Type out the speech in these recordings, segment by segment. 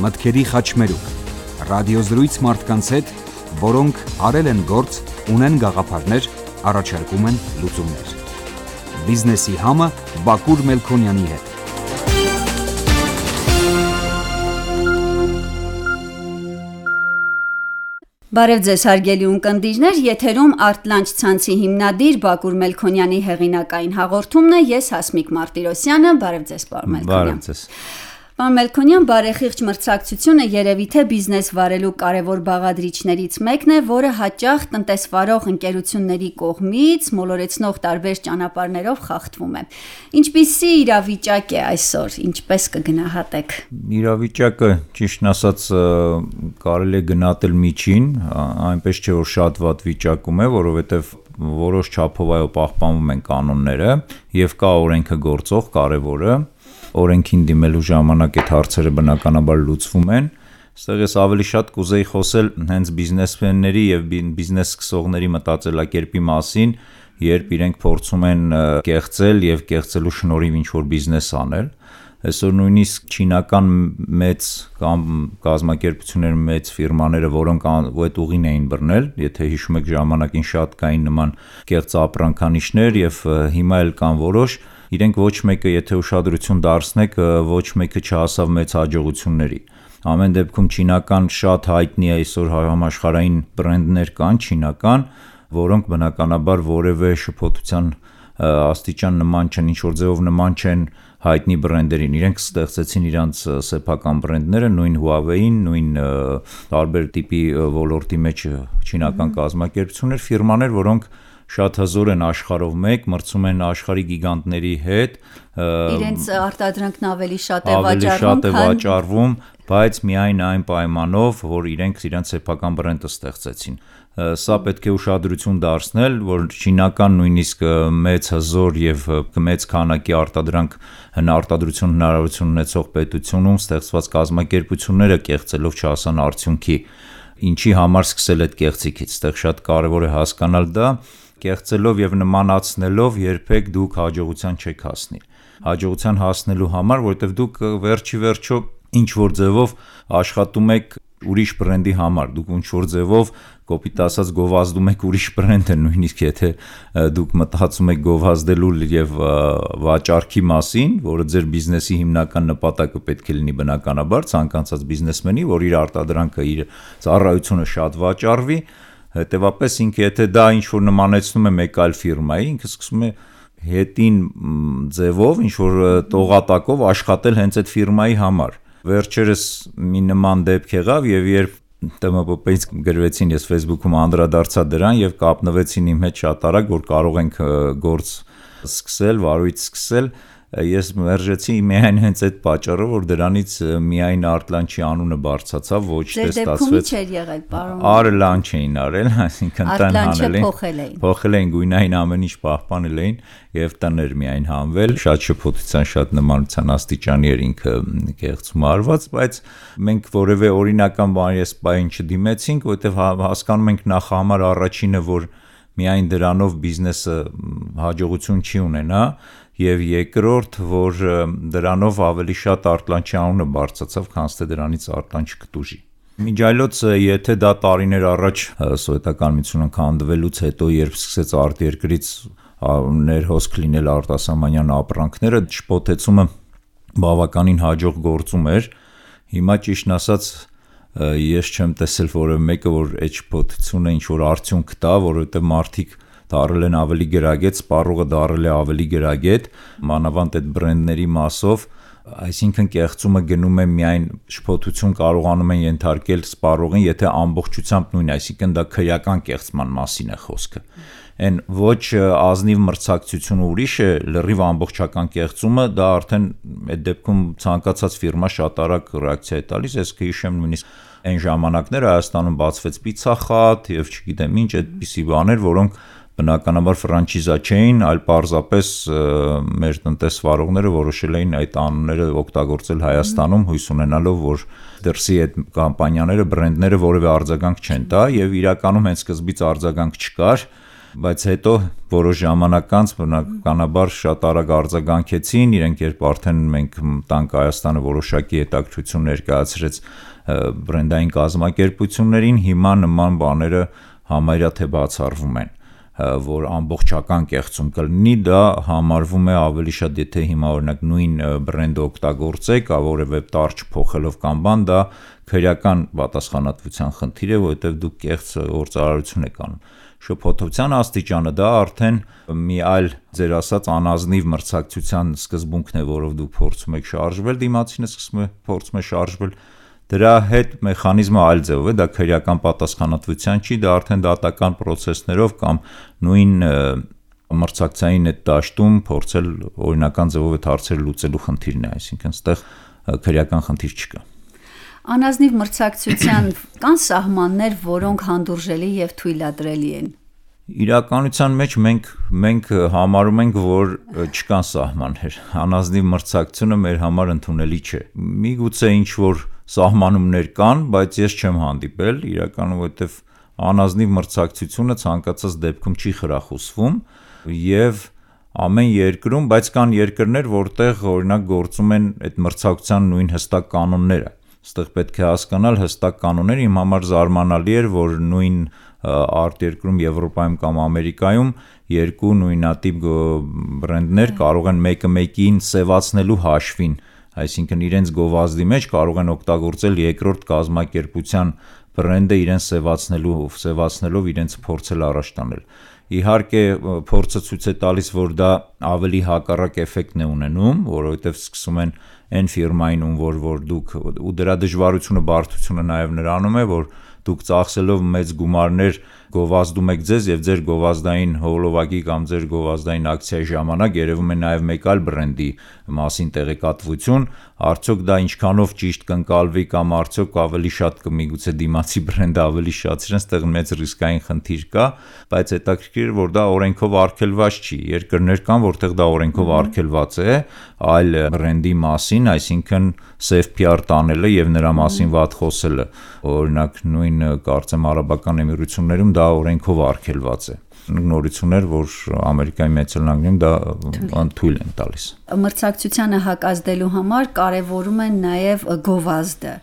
մտքերի խաչմերուկ, ռադիոզրույց մարդկանց հետ, որոնք արել են գործ, ունեն գաղափարներ, առաջարկում են լուծումներ։ Բիզնեսի համը Բակուր Մելքոնյանի հետ։ Բարև ձեզ հարգելի ունկնդիրներ, եթերում Art-Lunch ցանցի հիմնադիր Բակուր Մելքոնյանի հեղինակային հաղորդումն է, ես Հասմիկ Մարտիրոսյանը, բարև ձեզ պարոն Մելքոնյան։ Բարև ձեզ։ Պարոն Մելքոնյան, բարեխիղճ մրցակցությունը երևի թե բիզնես վարելու կարևոր բաղադրիչներից մեկն է, որը հաճախ տնտեսվարող ընկերությունների կողմից մոլորեցնող տարբեր ճանապարհներով խախտվում է։ Ինչպիսի իրավիճակ է այսօր, ինչպես կգնահատեք։ Իրավիճակը, ճիշտն ասած, կարելի է գնահատել միջին, այնպես չէ որ շատ վատ վիճակում է, որովհետև որոշ չափով այո պահպանվում են կանոնները եւ կա օրենքը գործող, կարևորը օրենքին դիմելու ժամանակ այդ հարցերը բնականաբար լուծվում են։ Այստեղ ես ավելի շատ կուզեի խոսել հենց բիզնեսմենների եւ բիզնես սկսողների մտածելակերպի մասին, երբ իրենք փորձում են կեղծել եւ կեղծելու շնորհիվ ինչ-որ բիզնես անել։ Այսօր նույնիսկ չինական մեծ կամ կազմակերպություններ մեծ ֆիրմաները, որոնք այդ ուղին էին բռնել, եթե հիշում եք ժամանակին շատ կային նման կեղծ ապրանքանիշներ եւ հիմա էլ կան որոշ, իրենք ոչ մեկը, եթե ուշադրություն դարձնեք, ոչ մեկը չհասավ մեծ հաջողությունների։ Ամեն դեպքում չինական շատ հայտնի այսօր համաշխարհային բրենդներ կան չինական, որոնք բնականաբար որևէ շփոթության աստիճան նման չեն, ինչ-որ ձևով նման չեն հայտնի բրենդերին, իրենք ստեղծեցին իրանց սեփական բրենդները, նույն Huawei-ին, նույն տարբեր տիպի ոլորտի մեջ չինական կազմակերպություններ, ֆիրմաներ, որոնք շատ հզոր են աշխարհով մեկ, մրցում են աշխարհի գիգանտների հետ, իրենց արտադրանքն ավելի շատ է վաճառվում, բայց միայն այն պայմանով, որ իրենք իրենց սեփական բրենդը ստեղծեցին։ Սա պետք է ուշադրություն դարձնել, որ չինական նույնիսկ մեծ հզոր եւ մեծ քանակի արտադրություն հնարավորություն ունեցող պետությունում ստեղծված կազմակերպությունները կեղծելով չհասան արդյունքի, ինչի համար սկսել այդ կեղծիքից, այդտեղ շատ կարեւոր է հասկանալ դա, կեղծելով եւ նմանացնելով երբեք դուք հաջողության չեք հասնի։ Հաջողության հասնելու համար, որովհետեւ դուք վերջի վերջո ինչ որ ձևով աշխատում եք ուրիշ բրենդի համար, դուք ինչ որ ձևով կոպիտ ասած գովազդում եք ուրիշ բրենդը, նույնիսկ եթե դուք մտածում եք գովազդելու եւ վաճառքի մասին, որը ձեր բիզնեսի հիմնական նպատակը պետք է լինի բնականաբար ցանկացած բիզնեսմենի, որ իր արտադրանքը, իր ծառայությունը շատ վաճառվի, հետեւապես ինքը եթե դա ինչ որ նմանեցնում է մեկ այլ ֆիրմայի, ինքը սկսում է հետին ձևով ինչ որ տողատակով աշխատել հենց այդ ֆիրմայի համար։ Վերջերս մի նման դեպք եղավ եւ երբ ՏՄՊՊ-ից գրվեցին, ես Facebook-ում անդրադարձա դրան եւ կապնվեցին իմ հետ շատ արագ, որ կարող ենք գործ սկսել, վարույթ սկսել, ես մերժեցի միայն հենց այդ պատճառով, որ դրանից միայն Art-Lunch-ի անունը բարձրացավ, ոչ թե ստացվեց։ Ձեր դեպքում չէր եղել, պարոն։ Art-Lunch էին արել, այսինքն տան հանել էին, փոխել էին գույնային ամեն ինչ պահպանել էին եւ տներ միայն հանվել, շատ շփոթության, շատ նմանության աստիճանի էր ինքը կեղծում արված, բայց մենք որևէ օրինական բան չդիմեցինք, որովհետեւ հասկանում ենք նախ համար առաջինը, որ միայն դրանով բիզնեսը հաջողություն չի ունենա, եւ երկրորդ, որ դրանով ավելի շատ Art-Lunch-ի անունը բարձրացավ, քան թե դրանից Art-Lunch կտուժի։ Միջայլոց, եթե դա տարիներ առաջ սովետական միությունը քանդվելուց հետո, երբ սկսեց արտերկրից ներհոսք լինել արտասահմանյան ապրանքները, շփոթեցումը բավականին հաջող գործում էր։ Հիմա ճիշտն ասած ես չեմ տեսել որևէ մեկը, որ այդ շփոթությունը ինչ որ արդյունք տա, որովհետեւ մարդիկ դարել են ավելի գրագետ, սպառողը դարել է ավելի գրագետ, մանավանդ այդ բրենդների մասով, այսինքն կեղծումը գնում է միայն շփոթություն կարողանում են ենթարկել սպառողին, եթե ամբողջությամբ նույն, այսինքն դա քրեական կեղծման մասին է խոսքը։ Այն ոչ ազնիվ մրցակցությունը ուրիշ է, լրիվ ամբողջական կեղծումը, դա արդեն այդ դեպքում ցանկացած ֆիրմա շատ արագ ռեակցիա է տալիս, ես կհիշեմ նույնիսկ այն ժամանակներ Հայաստանում բացվեց պիցախատ եւ չգիտեմ ինչ այդպիսի բաներ, որոնք բնականաբար ֆրանչիզա չէին, այլ պարզապես մեր տնտեսվարողները որոշել էին այդ անունները օգտագործել Հայաստանում, հույս ունենալով, որ դրսի այդ կամպանիաները, բրենդները որևէ արձագանք չեն տա եւ իրականում հենց սկզբից արձագանք չկար բայց հետո որոշ ժամանակ անց բնականաբար շատ արագ արձագանքեցին, իրենք երբ արդեն մենք տանք Հայաստանը որոշակի հետաքրքրություն ներկայացրեց բրենդային կազմակերպություններին, հիմա նման բաները համարյա թե բացառվում են, որ ամբողջական կեղծում կլինի, դա համարվում է ավելի շատ, եթե հիմա օրինակ նույն բրենդը օգտագործեք, որևէ տարր չփոխելով կամ բան, դա քրեական պատասխանատվության խնդիր է, որովհետև դուք կեղծ գործարարություն եք անում։ Շփոթության աստիճանը դա արդեն մի այլ ձեր ասած անազնիվ մրցակցության սկզբունքն է, որով դուք փորձում եք շարժվել, դիմացինը փորձում է շարժվել, դրա հետ մեխանիզմը այլ ձևով է, դա քրեական պատասխանատվության չի, դա արդեն դատական պրոցեսներով կամ նույն մրցակցային այդ դաշտում փորձել օրինական ձևով այդ հարցերը լուծելու խնդիրն է, այսինքն այստեղ քրեական խնդիր չկա։ Անազնիվ մրցակցության կան սահմաններ, որոնք հանդուրժելի եւ թույլատրելի են։ Իրականության մեջ մենք համարում ենք, որ չկան սահմաններ։ Անազնիվ մրցակցությունը մեր համար ընդունելի չէ։ Միգուցե ինչ որ սահմանումներ կան, բայց ես չեմ հանդիպել, իրականում որովհետև անազնիվ մրցակցությունը ցանկացած դեպքում չի խրախուսվում եւ ամեն երկրում, բայց կան երկրներ, որտեղ օրինակ գործում են այդ մրցակցության նույն հստակ կանոնները։ Այստեղ պետք է հասկանալ հստակ կանոններ, իմ համար զարմանալի էր, որ նույն արտերկրում Եվրոպայում կամ Ամերիկայում երկու նույնատիպ բրենդներ կարող են մեկը մեկին սևացնելու հաշվին, այսինքն իրենց գովազդի մեջ կարող են օգտագործել երկրորդ կազմակերպության բրենդը իրենց սևացնելով իրենց փորձել առաջ տանել։ Իհարկե փորձը ցույց է տալիս, որ դա ավելի հակառակ էֆեկտն է ունենում, որովհետև սկսում են այն ֆիրմային որ դուք ու դրա դժվարությունը բարդությունը նաև նրանում է, որ դուք ծախսելով մեծ գումարներ գովազդում եք ձեզ եւ ձեր գովազդային հոլովակի կամ ձեր գովազդային ակցիայի ժամանակ երևում է նաև մեկ այլ բրենդի մասին տեղեկատվություն, արդյոք դա ինչքանով ճիշտ կընկալվի կամ արդյոք ավելի շատ կմիգուցե դիմացի բրենդը ավելի շատ իրեն ստեղ մեծ ռիսկային խնդիր կա, բայց հետաքրքիր որ դա օրենքով արգելված չի։ Երկրներ կան, որտեղ դա օրենքով արգելված է, այլ բրենդի մասին, այսինքն safe PR տանելը եւ նրա մասին վատ խոսելը, օրինակ նույն կարծեմ Արաբական Էմիրություններում դա օրենքով արգելված է։ Նորություններ, որ Ամերիկայի Մեծ Նահանգներում դա թույլ են տալիս։ Մրցակցությանը հակազդելու համար կարևորում են նաև գովազդը։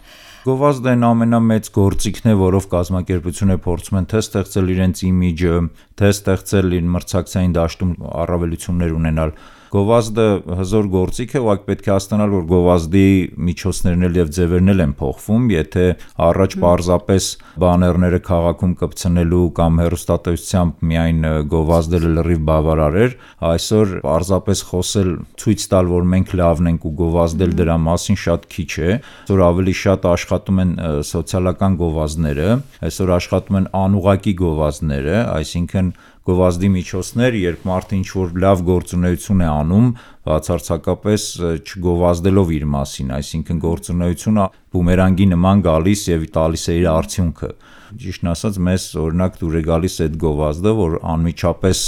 Գովազդը այն ամենամեծ գործիքն է, որով կազմակերպությունները փորձում են թե ստեղծել իրենց իմիջը, թե ստեղծել իր մրցակցային դաշտում առավելություններ ունենալ։ Գովազդը հզոր գործիք է, ուղղակի պետք է հասկանալ, որ գովազդի միջոցներն եւ ձևերն են փոխվում, եթե առաջ պարզապես բաներները քաղաքում կպցնելու կամ հեռուստատեսությամբ միայն գովազդը լրիվ բավարար էր, այսօր պարզապես խոսել, ցույց տալ, որ մենք լավն ենք ու գովազդել դրա մասին շատ քիչ է, այսօր ավելի շատ աշխատում են սոցիալական գովազդները, այսօր աշխատում են անուղղակի գովազդները, այսինքն գովազդի միջոցներ, երբ մարդը ինչ-որ լավ գործունեություն է անում, բացարձակապես չգովազդելով իր մասին, այսինքն գործունեությունը բումերանգի նման գալիս եւ տալիս է իր արդյունքը։ Ճիշտն ասած, մեզ օրինակ դուր է գալիս այդ գովազդը, որ անմիջապես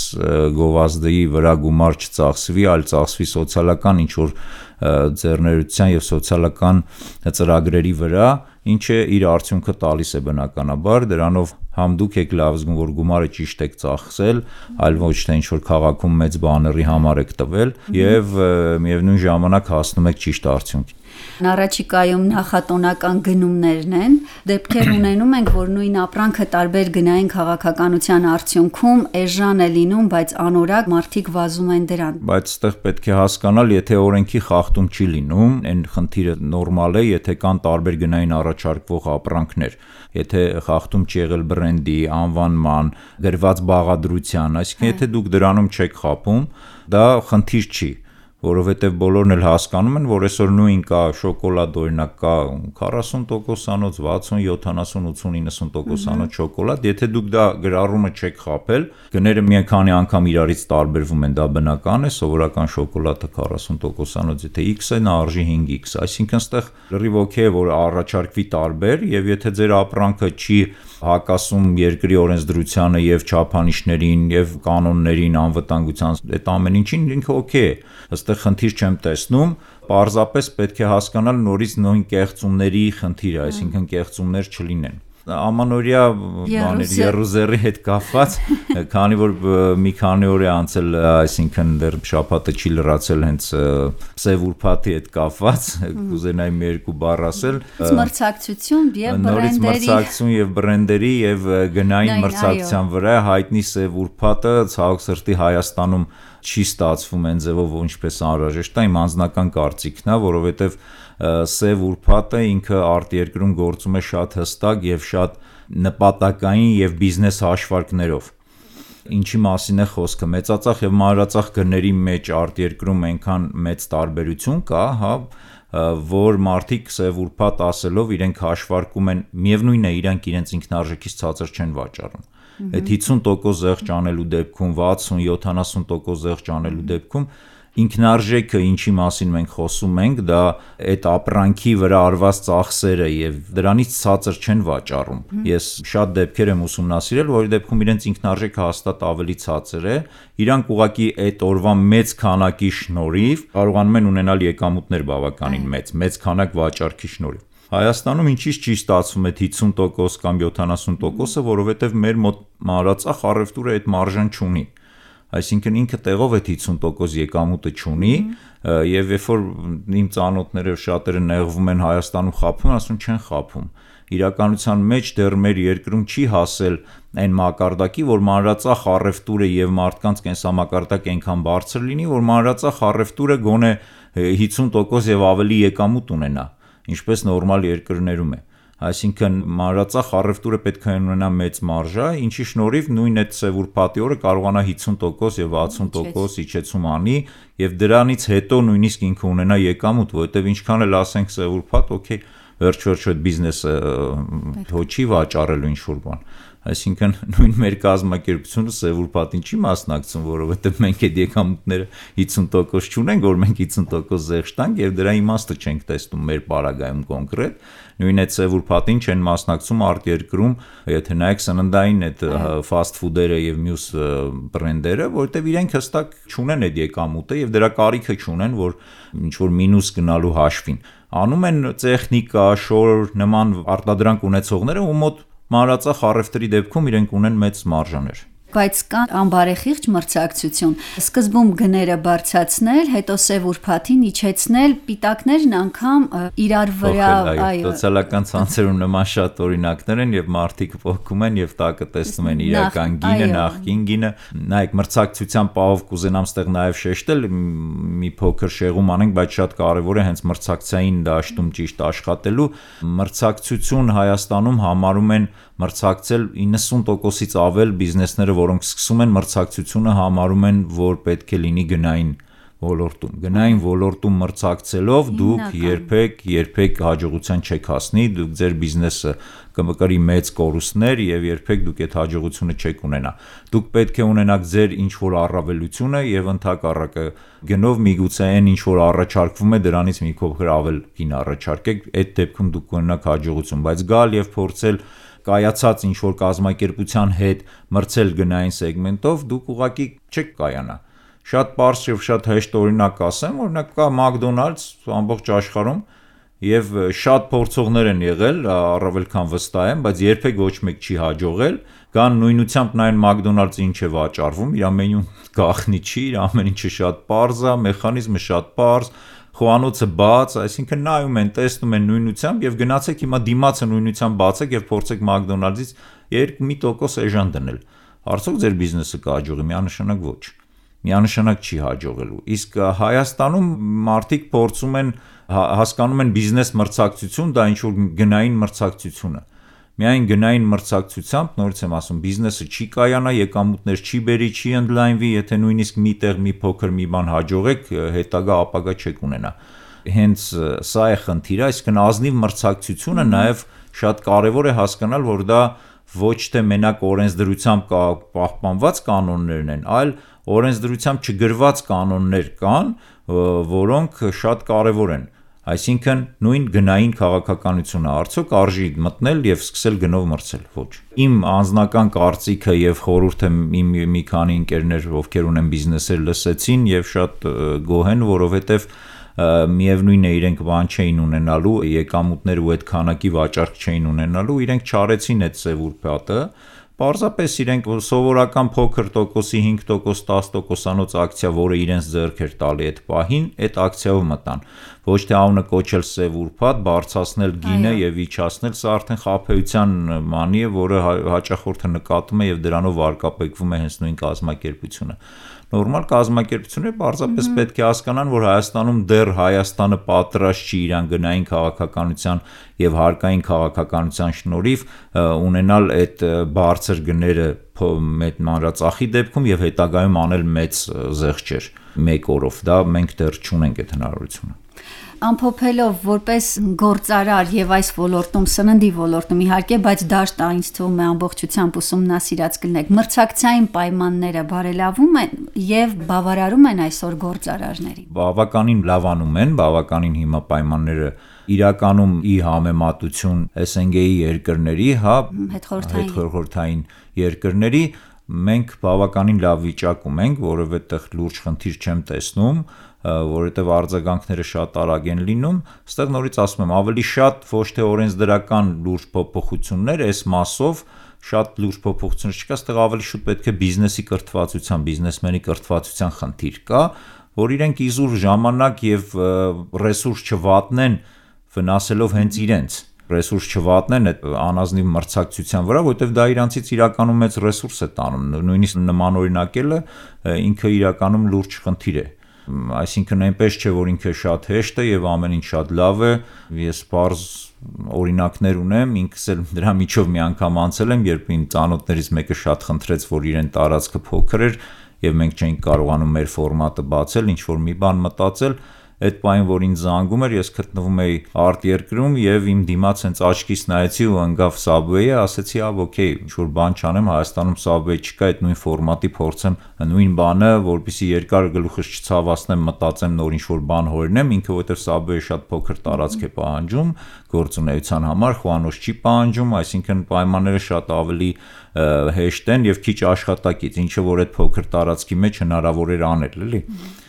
գովազդի վրա գումար չծախսվի, այլ ծախսվի սոցիալական ինչ-որ ձեռներության եւ սոցիալական ծրագրերի վրա, ինչը իր արդյունքը տալիս է բնականաբար, դրանով համ դուք եք լավ զգում, որ գումարը ճիշտ եք ծախսել, այլ ոչ թե ինչ-որ քաղաքում մեծ բաների համար եք տվել եւ միևնույն ժամանակ հասնում եք ճիշտ արդյունքի։ Առաջիկայում նախատոնական գնումներն են, դեպքեր ունենում ենք, որ նույն ապրանքը տարբեր գնային քաղաքականության արդյունքում էժան է լինում, բայց անորակ մարդիկ վազում են դրան։ Բայց այդտեղ պետք է հասկանալ, եթե օրենքի խախտում չի լինում, այն խնդիրը նորմալ է, եթե կան տարբեր գնային առաջարկվող ապրանքներ, եթե խախտում չի եղել բրենդի, անվանման, գրված բաղադրության, այսինքն եթե դուք դրանում չեք խաբում, դա խնդիր չի, որովհետև բոլորն էլ հասկանում են, որ այսօր նույն կա շոկոլադ օրինակ կա 40%-անոց, 60, 70, 80, 90%-անոց շոկոլադ, եթե դուք դա գրառումը չեք խաբել, գները մի քանի անգամ իրարից տարբերվում են, դա բնական է, սովորական շոկոլադը 40%-անոց, եթե X է, նա արժի 5X, այսինքն այստեղ լրիվ օքեյ է, որ առաջարկվի տարբեր, եւ եթե ձեր ապրանքը չի հակասում երկրի օրենսդրությանը եւ չափանիշներին եւ կանոններին, անվտանգության, այդ ամեն ինչին ինքը օքեյ է։ Այստեղ խնդիր չեմ տեսնում, պարզապես պետք է հասկանալ նորից նույն կեղծումների խնդիրը, այսինքն կեղծումներ չլինեն։ Ամանորյա երուզերի հետ կապված, քանի որ մի քանի օր է անցել, այսինքն դեռ շաբաթը չի լրացել հենց Սև ուրբաթի հետ կապված, կուզենայի մի երկու բառ ասել։ Մրցակցություն եւ բրենդերի։ Նորից մրցակցություն եւ բրենդերի եւ գնային մրցակցության վրա հայտնի Սև ուրբաթը ցավոք սրտի Հայաստանում չի ստացվում այն ձևով, ինչպես անհրաժեշտ է, իմ անձնական կարծիքն է, որովհետեւ Սև ուրբաթը ինքը արտերկրում գործում է շատ հստակ եւ շատ նպատակային եւ բիզնես հաշվարկներով։ Ինչի մասին է խոսքը, մեծածախ եւ մանրածախ գների մեջ արտերկրում այնքան մեծ տարբերություն կա, հա, որ մարդիկ Սև ուրբաթ ասելով իրենք հաշվարկում են, միևնույնն է, իրանք իրենց ինքնարժեքից ցածր չեն վաճառում։ Այդ 50% զեղչ անելու դեպքում, 60-70% զեղչ անելու դեպքում ինքնարժեքը, ինչի մասին մենք խոսում ենք, դա այդ ապրանքի վրա արված ծախսերը եւ դրանից ցածր չեն վաճառում։ Ես շատ դեպքեր եմ ուսումնասիրել, որի դեպքում իրենց ինքնարժեքը հաստատ ավելի ցածր է, իրանք ուղղակի այդ օրվա մեծ քանակի շնորհիվ կարողանում են ունենալ եկամուտներ բավականին մեծ քանակ վաճառքի շնորհիվ։ Հայաստանում ինչի՞ չի ստացվում այդ 50% կամ 70%-ը, որովհետեւ մեր մոտ մանրածախ առևտուրը այդ մարժան չունի։ Այսինքն ինքը տեղով այդ 50% եկամուտը չունի եւ երբ որ իմ ծանոթները շատերը նեղվում են Հայաստանում խափում, ասում չեն խափում։ Իրականության մեջ դեռ մեր երկրում չի հասել այն մակարդակի, որ մանրածախ առևտուրը եւ մարդկանց կենսամակարդակ այնքան բարձր լինի, որ մանրածախ առևտուրը գոնե 50% եւ ավելի եկամուտ ունենա, ինչպես նորմալ երկրներում է։ Այսինքն մանրածախ առևտուրը պետք է ունենա մեծ մարժա, ինչի շնորհիվ նույն այդ Սև ուրբաթի օրը կարողանա 50% եւ 60% իջեցում անի եւ դրանից հետո նույնիսկ ինքը ունենա եկամուտ, որովհետեւ ինչքան էլ ասենք Սև ուրբաթ, օքեյ, վերջ-վերջ այդ բիզնեսը հոչի վաճառելու ինչ-որ բան։ Այսինքն նույն մեր կազմակերպությունը Սև ուրբաթին չի մասնակցում, որովհետև մենք այդ եկամուտները 50% չունենք, որ մենք 50% զեղչ տանք եւ դրա իմաստը չենք տեսնում մեր պարագայում կոնկրետ։ Նույն այդ Սև ուրբաթին չեն մասնակցում արտերկրում, եթե նայեք սննդային այդ ֆասթ ֆուդերը եւ մյուս բրենդերը, որովհետեւ իրենք հստակ չունեն այդ եկամուտը եւ դրա կարիքը չունեն, որ ինչ որ մինուս գնալու հաշվին։ Անում են տեխնիկա, շոր նման արտադրանք ունեցողները, ու մոտ մանրածախ առևտրի դեպքում իրենք ունեն մեծ մարժաներ։ Բայց կան անբարեխիղճ մրցակցություն։ Սկզբում գները բարձրացնել, հետո Սև ուրբաթին իջեցնել, պիտակներն անգամ իրար վրա, այո։ Սոցիալական ցանցերում նման շատ օրինակներ են եւ մարդիկ փոխում են եւ տակը տեսնում են իրական գինը, նախկին գինը։ Նայեք, մրցակցության պահով կուզենամ ստեղ նաեւ շեշտել, մի փոքր շեղում անենք, բայց շատ կարեւոր է հենց մրցակցային դաշտում ճիշտ աշխատելու։ Մրցակցություն Հայաստանում համարում են մրցակցել 90%-ից ավել բիզնեսները, որոնք սկսում են մրցակցությունը համարում են, որ պետք է լինի գնային ոլորտում։ Գնային ոլորտում մրցակցելով դուք երբեք հաջողության չեք հասնի, դուք ձեր բիզնեսը կմկրի մեծ կորուստներ եւ երբեք դուք այդ հաջողությունը չեք ունենա։ Դուք պետք է ունենաք ձեր ինչ որ առավելությունը եւ ընդհակառակը գնով միգուցե այն ինչ որ առաջարկվում է դրանից մի փոքր ավել գին առաջարկեք, այդ դեպքում դուք կունենաք հաջողություն, բայց գալ եւ փորձել կայացած ինչ որ կազմակերպության հետ մրցել գնային սեգմենտով դուք ուղղակի չեք կայանա։ Շատ པարզ եւ շատ հեշտ օրինակ ասեմ, օրինակ կա McDonald's ամբողջ աշխարհում եւ շատ փորձողներ են եղել, առավել քան վստահ եմ, բայց երբեք ոչ մեկ չի հաջողել, կան նույնությամբ նայն McDonald's ինչ է վաճառվում, իր ամենուն գախնի չի, իր ամեն ինչը շատ པարզ է, մեխանիզմը շատ པարզ, խոհանոցը բաց, այսինքն նայում են, տեսնում են նույնությամբ եւ գնացեք հիմա դիմացը նույնությամբ բացեք եւ փորձեք McDonald's-ից 2% էժան դնել։ Արդյոք ձեր բիզնեսը կհաջողի, միանշանակ ոչ։ Միանշանակ չի հաջողելու։ Իսկ Հայաստանում մարդիկ փորձում են հասկանում են բիզնես մրցակցություն, դա ինչ որ գնային մրցակցություն է։ Միայն գնային մրցակցությամբ, նորից եմ ասում, բիզնեսը չի կայանա, եկամուտներ չի բերի, չի ընդլայնվի, եթե նույնիսկ միտեղ մի փոքր մի բան հաջողեք, հետագա ապագա չեք ունենա։ Հենց սա է խնդիրը, այսինքն ազնիվ մրցակցությունը նաև շատ կարևոր է հասկանալ, որ դա ոչ թե մենակ օրենսդրությամբ պահպանված կանոններն են, այլ օրենսդրությամբ չգրված կանոններ կան, որոնք շատ կարևոր են։ Այսինքն նույն գնային քաղաքականությունը արդյոք արժի մտնել եւ սկսել գնով մրցել, ոչ։ Իմ անձնական կարծիքը եւ խորհուրդը իմ մի քանի ընկերներ, ովքեր ունեն բիզնեսեր, լսեցին եւ շատ գոհ են, որովհետեւ միևնույնն է իրենք բան չէին ունենալու, եկամուտներ ու այդ քանակի վաճառք չէին ունենալու, իրենք չարեցին այդ սև ուրբաթը, պարզապես իրենք սովորական փոքր տոկոսի 5%, 10%-անոց ակցիա, որը իրենց ձեռք էր տալի այդ պահին, այդ ակցիայով մտան, ոչ թե անունը կոչել սև ուրբաթ, բարձրացնել գինը եւ իջացնել, սա արդեն խաբեության մանի է, որը հաճախորդը նկատում է եւ դրանով վարկապեկվում է հենց նույն կազմակերպությունը։ Նորմալ կազմակերպությունները պարզապես պետք է հասկանան, որ Հայաստանում դեռ Հայաստանը պատրաստ չի իրան գնային քաղաքականության եւ հարկային քաղաքականության շնորհիվ ունենալ այդ բարձր գները մեծ մանրածախի դեպքում եւ հետագայում անել մեծ զեղչեր մեկ օրով։ Դա մենք դեռ չունենք այդ հնարավորությունը։ Ամփոփելով որպես գործարար եւ այս ոլորտում սննդի ոլորտում իհարկե, բայց դաշտ ինձ թվում է ամբողջությամբ ուսումնասիրած կլինեք, մրցակցային պայմանները բարելավում են եւ բավարարում են այսօր գործարարներին։ Բավականին լավանում են, բավականին հիմա պայմանները իրականում ի համեմատություն SNG-ի երկրների, հետխորհրդային երկրների մենք բավականին լավ վիճակում ենք, որովհետեւ լուրջ խնդիր չեմ տեսնում, որովհետև արձագանքները շատ արագ են լինում, այստեղ նորից ասում եմ, ավելի շատ ոչ թե օրենսդրական լուրջ փոփոխություններ, այս մասով շատ լուրջ փոփոխություններ չկա, այստեղ ավելի շուտ պետք է բիզնեսի կրթվածության, բիզնեսմենի կրթվածության խնդիր կա, որ իրենք իզուր ժամանակ եւ ռեսուրս չվատնեն վնասելով հենց իրենց ռեսուրս չվատնեն այդ անազնիվ մրցակցության վրա, որովհետև դա իրանցից իրականում մեծ ռեսուրս է տանում, նույնիսկ նմանօրինակելը ինքը իրականում լուրջ խնդիր է։ Այսինքն այնպես չէ, որ ինքը շատ հեշտ է եւ ամեն ինչ շատ լավ է, ես պարզ օրինակներ ունեմ, ինքս էլ դրա միջով մի անգամ անցել եմ, երբ ինձ ծանոթներից մեկը շատ խնդրեց, որ իրեն տարածքը փոքր էր եւ մենք չէինք կարողանում մեր ֆորմատը բացել, ինչ որ մի բան մտածել, այդ պահին, որ ինձ զանգում էր, ես գտնվում էի արտերկրում եւ իմ դիմաց հենց աչքիս նայեցի ու ընկավ Subway-ը, ասեցի, օքեյ, ինչ որ բան չանեմ, Հայաստանում Subway չկա, այդ նույն ֆորմատի փորձեմ նույն բանը, որպեսզի երկար գլուխս չցավացնեմ, մտածեմ նոր ինչ որ բան հորինեմ, ինքը որովհետեւ Subway-ը շատ փոքր տարածք է պահանջում գործունեության համար, խոհանոց չի պահանջում, այսինքն պայմանները շատ ավելի հեշտ են եւ քիչ աշխատակից, ինչը որ այդ փոքր տարածքի մեջ հնարավոր էր անել, էլի։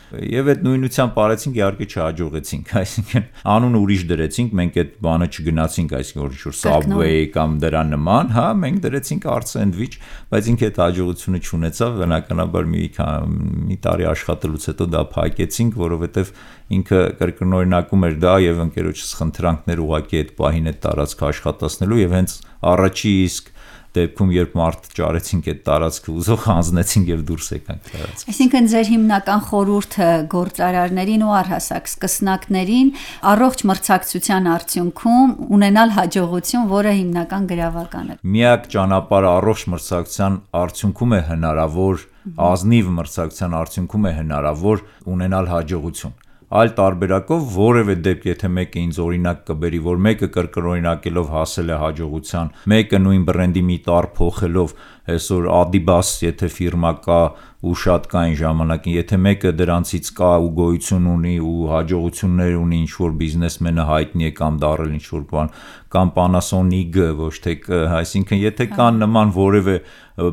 Եվ այդ նույնությամբ արեցինք, իհարկե չհաջողեցինք, այսինքն անունը ուրիշ դրեցինք, մենք այդ բանը չգնացինք, այսինքն որ ինչ-որ Subway կամ դրա նման, հա, մենք դրեցինք Art Sandwich, բայց ինքը այդ հաջողությունը չունեցավ, բնականաբար մի տարի աշխատելուց հետո դա փակեցինք, որովհետև ինքը կրկնօրինակում էր դա եւ ընկերոջս խնդրանքներ ուղակի այդ պահին այդ տարածքը աշխատացնելու եւ հենց առաջի իսկ դեպքում երբ մարդ ճարեցինք այդ տարածքը ուզող հանձնեցինք եւ դուրս եկանք տարածք։ Այսինքն ձեր հիմնական խորհուրդը գործարարներին ու առհասարակ սկսնակներին առողջ մրցակցության արդյունքում ունենալ հաջողություն, որը հիմնական գրավական է։ Միակ ճանապարհը առողջ մրցակցության արդյունքում է հնարավոր, ազնիվ մրցակցության արդյունքում է հնարավոր ունենալ հաջողություն։ Այլ տարբերակով որևէ դեպք, եթե մեկը ինձ օրինակ կբերի, որ մեկը կրկնօրինակելով հասել է հաջողության, մեկը նույն բրենդի մի տառ փոխելով, այսօր Adidas, եթե ֆիրմա կա ու շատ կային ժամանակին, եթե մեկը դրանցից կա ու գոյություն ունի ու հաջողություններ ունի, ինչ որ բիզնեսմենը հայտնի է կամ դառել ինչ որ բան, կամ Panasonic-ը, ոչ թե, այսինքն եթե կան նման որևէ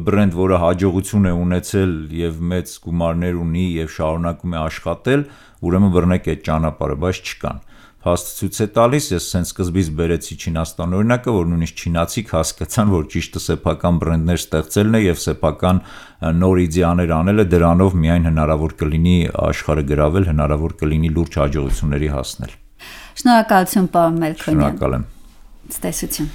բրենդ, որը հաջողություն է ունեցել եւ մեծ գումարներ ունի եւ շարունակում է աշխատել, ուրեմն բռնեք այդ ճանապարհը, բայց չկան։ Փաստ ցույց է տալիս, ես սենց սկզբից բերեցի Չինաստան օրինակը, որ նույնիսկ չինացիք հասկացան, որ ճիշտը սեփական բրենդներ ստեղծելն է եւ սեփական նոր իդեաներ անելը, դրանով միայն հնարավոր կլինի աշխարհը գրավել, հնարավոր կլինի լուրջ հաջողությունների հասնել։ Շնորհակալություն, պարոն Մելքոնյան։ Շնորհակալ եմ։ Ցտեսություն։